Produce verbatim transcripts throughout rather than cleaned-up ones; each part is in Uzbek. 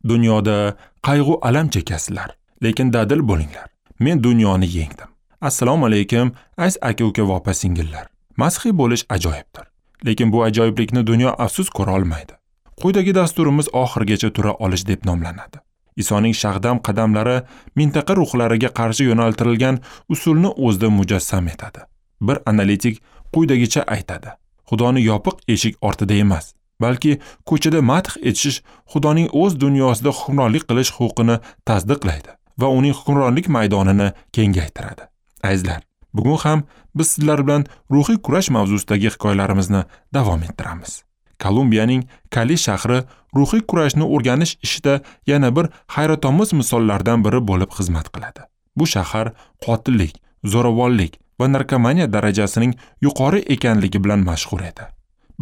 Dunyoda qayg'u alam chekasizlar, lekin dadil bo'linglar. Men dunyoni yengdim. Assalomu alaykum, aziz aka-uka va opa-singillar. Masihiy bo'lish ajoyibdir. Lekin bu ajoyiblikni dunyo afsus ko'ra olmaydi. Quyidagi dasturimiz oxirigacha tura olish deb nomlanadi. Isoning shag'dam qadamlari mintaqa ruhlariga qarshi yo'naltirilgan usulni o'zida mujassam etadi. Bir analitik quyidagicha aytadi: Xudoni yopiq eshik ortida emas, balki ko'chada madh etish Xudoning o'z dunyosida hukmronlik qilish huquqini tasdiqlaydi va uning hukmronlik maydonini kengaytiradi. Azizlar, bugun ham biz sizlar bilan ruhiy kurash mavzusidagi hikoyalarimizni davom ettiramiz. Kolumbiyaning Kali shahri ruhiy kurashni o'rganish ishida yana bir hayratomuz misollardan biri bo'lib xizmat qiladi. Bu shahar qotillik, zo'ravonlik va narkomaniya darajasining yuqori ekanligi bilan mashhur edi.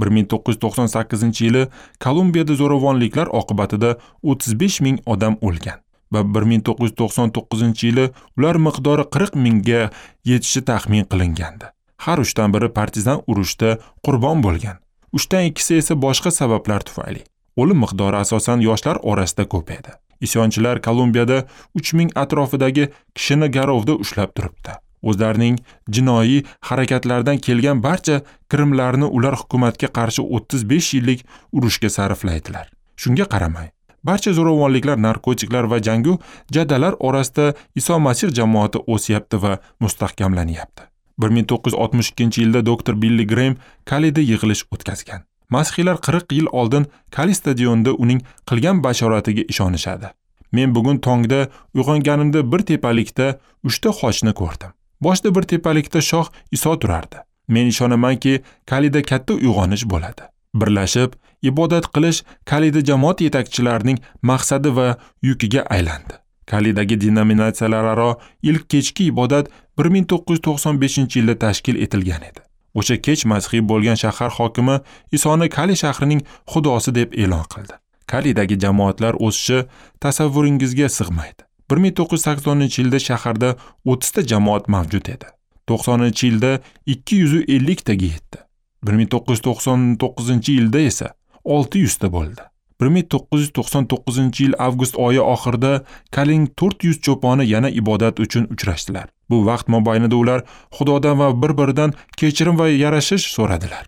bir ming to'qqiz yuz to'qson sakkizinchi yili Kolumbiyada zo'ravonliklar oqibatida o'ttiz besh ming odam o'lgan va bir ming to'qqiz yuz to'qson to'qqizinchi yili ular miqdori qirq mingga yetishi taxmin qilingandi. Har uchdan biri partizan urushda qurbon bo'lgan. Uchdan ikkisi esa boshqa sabablar tufayli. O'lim miqdori asosan yoshlar orasida ko'p edi. Isyonchilar Kolumbiyada uch ming atrofidagi kishini garovda ushlab turibdi. O'zlarining jinoiy harakatlaridan kelgan barcha kirimlarni ular hukumatga qarshi o'ttiz besh yillik urushga sarflaydilar. Shunga qaramay, barcha zo'ravonliklar, narkotiklar va jangu jadalar orasida Iso Masih jamoati o'syapti va mustahkamlanyapti. bir ming to'qqiz yuz oltmish ikkinchi yilda doktor Billi Graham Kalida yig'ilish o'tkazgan. Masihiylar qirq yil oldin Kali stadionida uning qilgan bashoratiga ishonishadi. Men bugun tongda uyg'onganimda bir tepalikda uchta xochni ko'rdim. Boshda bir tepalikda shoh Iso turardi. Men ishonamanki, Kalida katta uyg'onish bo'ladi. Birlashib ibodat qilish Kalida jamoat yetakchilarining maqsadi va yukiga aylandi. Kalidagi denominatsiyalararo ilk kechki ibodat bir ming to'qqiz yuz to'qson beshinchi yilda tashkil etilgan edi. O'sha kech masihiy bo'lgan shahar hokimi Isoni Kali shahrining xudosi deb e'lon qildi. Kalidagi jamoatlar o'sishi tasavvuringizga sig'maydi. bir ming to'qqiz yuz saksoninchi yilda shaharda o'ttizta jamoat mavjud edi. to'qsoninchi yilda ikki yuz elliktaga yetdi. bir ming to'qqiz yuz to'qson to'qqizinchi yilda esa olti yuzta bo'ldi. bir ming to'qqiz yuz to'qson to'qqizinchi yil avgust oyi oxirida Kalining to'rt yuz cho'poni yana ibodat uchun uchrashdilar. Bu vaqt mobaynida ular Xudodan va bir-biridan kechirim va yarashish so'radilar.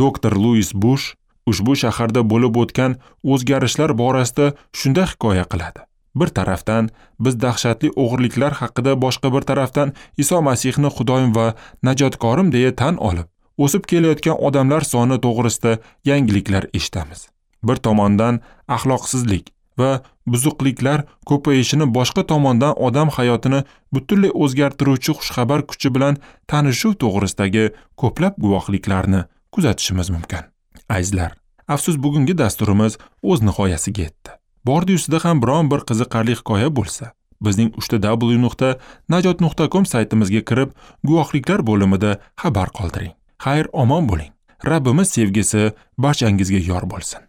Doktor Luis Bush ushbu shaharda bo'lib o'tgan o'zgarishlar borasida shunday hikoya qiladi. Bir tarafdan biz dahshatli o'g'irliklar haqida, boshqa bir tarafdan Iso Masihni Xudoyim va najotkorim deya tan olib, o'sib kelayotgan odamlar soni to'g'risida yangiliklar eshitamiz. Bir tomondan axloqsizlik va buzuqliklar ko'payishini, boshqa tomondan odam hayotini butunlay o'zgartiruvchi xushxabar kuchi bilan tanishuv to'g'risidagi ko'plab guvohliklarni kuzatishimiz mumkin. Azizlar, afsus bugungi dasturimiz o'z nihoyasiga yetdi. Bordi-yu sizda ham biron bir qiziqarli hikoya bo'lsa, bizning uchta w nuqta najot nuqta com saytimizga kirib, guvohliklar bo'limida xabar qoldiring. Xayr, omon bo'ling. Rabbimiz sevgisi barchangizga yor bo'lsin.